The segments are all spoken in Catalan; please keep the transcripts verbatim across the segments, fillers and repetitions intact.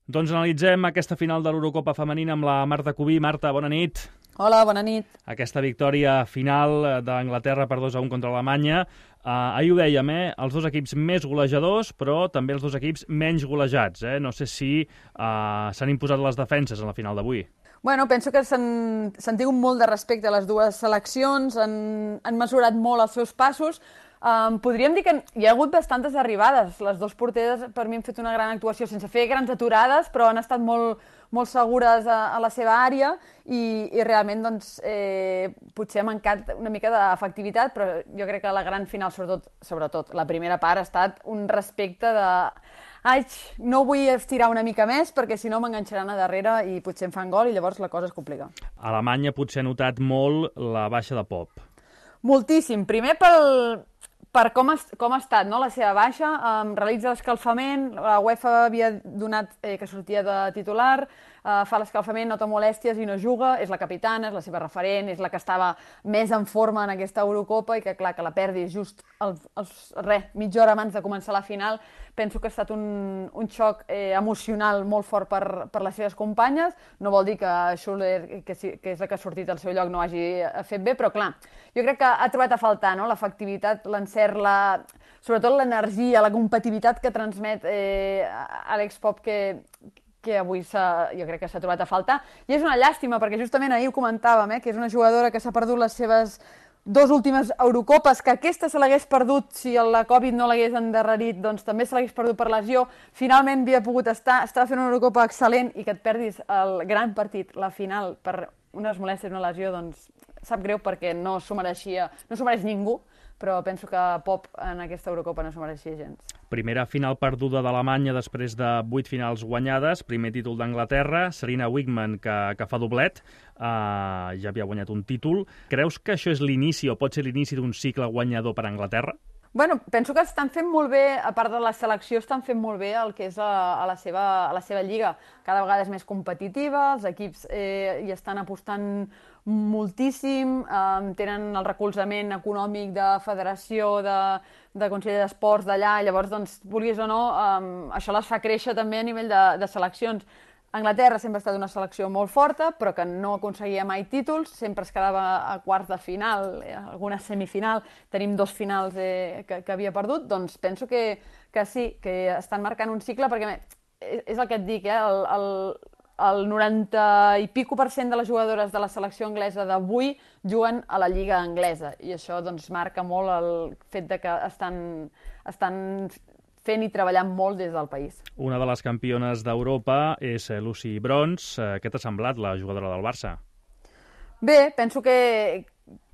Doncs analitzem aquesta final de l'Eurocopa femenina amb la Marta Cubí. Marta, bona nit. Hola, bona nit. Aquesta victòria final d'Anglaterra per dos a un contra Alemanya. Uh, ahir ho dèiem, eh? Els dos equips més golejadors, però també els dos equips menys golejats. Eh? No sé si uh, s'han imposat les defenses en la final d'avui. Bueno, penso que s'han tingut molt de respecte a les dues seleccions, han, han mesurat molt els seus passos. Um, podríem dir que hi ha hagut bastantes arribades. Les dues porteres per mi han fet una gran actuació, sense fer grans aturades, però han estat molt, molt segures a, a la seva àrea i, i realment doncs, eh, potser ha mancat una mica d'efectivitat, però jo crec que la gran final, sobretot, sobretot la primera part, ha estat un respecte de... Ai, no vull estirar una mica més perquè si no m'enganxaran a darrere i potser em fan gol i llavors la cosa es complica. Alemanya potser ha notat molt la baixa de Pop. Moltíssim. Primer pel, per com, es, com ha estat, no? La seva baixa, um, realitza l'escalfament, la UEFA havia donat eh, que sortia de titular, uh, fa l'escalfament, nota molèsties i no juga, és la capitana, és la seva referent, és la que estava més en forma en aquesta Eurocopa i que clar, que la perdi just el, els, res, mitja hora abans de començar la final, penso que ha estat un, un xoc eh, emocional molt fort per, per les seves companyes. No vol dir que Schuller, que, sí, que és la que ha sortit al seu lloc, no hagi fet bé, però clar, jo crec que ha trobat a faltar, no? L'efectivitat, l'encert, la... sobretot l'energia, la competitivitat que transmet eh, Alex Pop, que, que avui jo crec que s'ha trobat a faltar. I és una llàstima, perquè justament ahir ho comentàvem, eh, que és una jugadora que s'ha perdut les seves dos últimes Eurocopes, que aquesta se l'hagués perdut si la Covid no l'hagués endarrerit, doncs també se l'hagués perdut per lesió. Finalment havia pogut estar, estava fent una Eurocopa excel·lent i que et perdis el gran partit, la final, per unes molèsties, una lesió, doncs sap greu perquè no s'ho mereixia, no s'ho mereix ningú, però penso que Pop en aquesta Eurocopa no s'ho mereixia gens. Primera final perduda d'Alemanya després de vuit finals guanyades, primer títol d'Anglaterra, Sarina Wiegman, que, que fa doblet, uh, ja havia guanyat un títol. Creus que això és l'inici o pot ser l'inici d'un cicle guanyador per a Anglaterra? Bueno, penso que estan fent molt bé, a part de la selecció, estan fent molt bé el que és a, a, la, seva, a la seva lliga. Cada vegada és més competitiva, els equips eh, hi estan apostant moltíssim, eh, tenen el recolzament econòmic de federació, de, de Consell d'Esports d'allà, llavors, doncs, vulguis o no, eh, això les fa créixer també a nivell de, de seleccions. Anglaterra sempre ha estat una selecció molt forta, però que no aconseguia mai títols, sempre es quedava a quarts de final, alguna semifinal, tenim dos finals eh, que, que havia perdut, doncs penso que, que sí, que estan marcant un cicle, perquè és el que et dic, eh, el, el, el noranta i pico per cent de les jugadores de la selecció anglesa d'avui juguen a la lliga anglesa, i això doncs marca molt el fet de que estan... estan fent i treballant molt des del país. Una de les campiones d'Europa és Lucy Bronze. Què t'ha semblat la jugadora del Barça? Bé, penso que,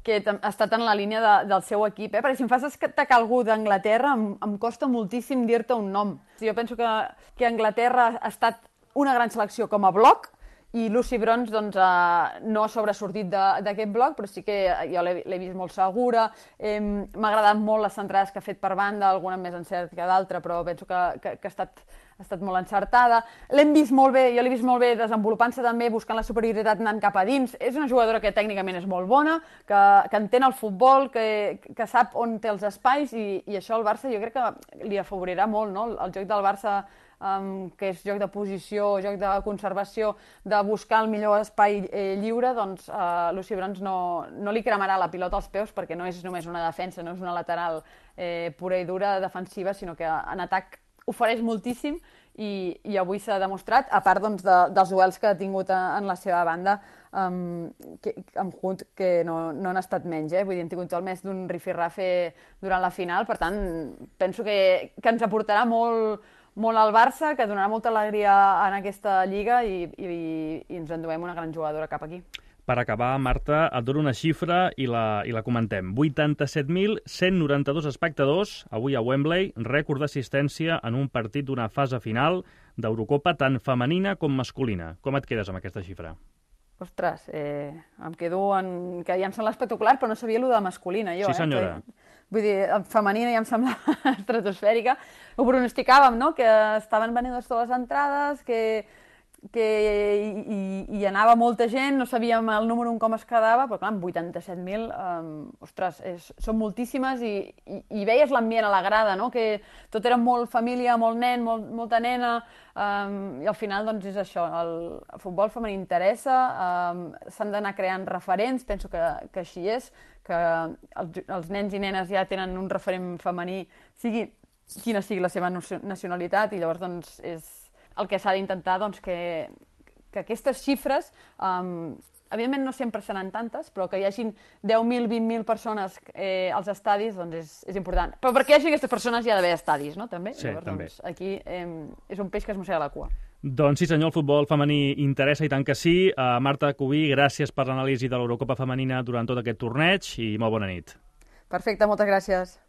que ha estat en la línia de, del seu equip, eh? Perquè si em fas destacar algú d'Anglaterra em, em costa moltíssim dir-te un nom. Jo penso que, que Anglaterra ha estat una gran selecció com a bloc, i Lucy Bronze doncs, eh, no ha sobresortit d'aquest bloc, però sí que jo l'he vist molt segura. Eh, M'ha agradat molt les centrades que ha fet per banda, alguna més encert que d'altra, però penso que, que, que ha, estat, ha estat molt encertada. L'hem vist molt bé, jo l'he vist molt bé desenvolupant-se també, buscant la superioritat anant cap a dins. És una jugadora que tècnicament és molt bona, que, que entén el futbol, que, que sap on té els espais, i, i això al Barça jo crec que li afavorirà molt, no? El joc del Barça, Um, que és joc de posició, joc de conservació, de buscar el millor espai eh, lliure, doncs uh, Lucy Bronze no, no li cremarà la pilota als peus, perquè no és només una defensa, no és una lateral eh, pura i dura defensiva, sinó que en atac ofereix moltíssim, i, i avui s'ha demostrat, a part doncs, de, dels duels que ha tingut a, en la seva banda, um, que, amb Hunt, que no, no han estat menys, eh? Vull dir, han tingut el més d'un rifirrafe durant la final, per tant, penso que, que ens aportarà molt molt al Barça, que donarà molta alegria en aquesta lliga, i, i, i ens enduem una gran jugadora cap aquí. Per acabar, Marta, et dono una xifra i la, i la comentem. vuitanta-set mil cent noranta-dos espectadors avui a Wembley, rècord d'assistència en un partit d'una fase final d'Eurocopa tant femenina com masculina. Com et quedes amb aquesta xifra? Ostres, eh, em quedo en... que ja em sembla espectacular, però no sabia allò de masculina, jo. Sí, senyora. Eh? Que... Vull dir, femenina ja em sembla estratosfèrica. Ho pronosticàvem, no?, que estaven venudes totes les entrades, que, que hi, hi anava molta gent, no sabíem el número un com es quedava, però clar, amb vuitanta-set mil, um, ostres, és, són moltíssimes i, i, i veies l'ambient a la grada, no? Que tot era molt família, molt nen, molt, molta nena, um, i al final doncs és això, el, el futbol femení interessa, um, s'han d'anar creant referents, penso que, que així és, que els, els nens i nenes ja tenen un referent femení, sigui quina sigui la seva nacionalitat, i llavors doncs, és el que s'ha d'intentar doncs, que, que aquestes xifres, um, evidentment no sempre seran tantes, però que hi hagin deu mil, vint mil persones eh, als estadis doncs és, és important. Però perquè hi hagi aquestes persones hi ha d'haver estadis, no? També? Sí, llavors, també. Doncs, aquí eh, és un peix que es mossega la cua. Doncs sí senyor, el futbol femení interessa i tant que sí. Uh, Marta Cubí, gràcies per l'anàlisi de l'Eurocopa femenina durant tot aquest torneig i molt bona nit. Perfecte, moltes gràcies.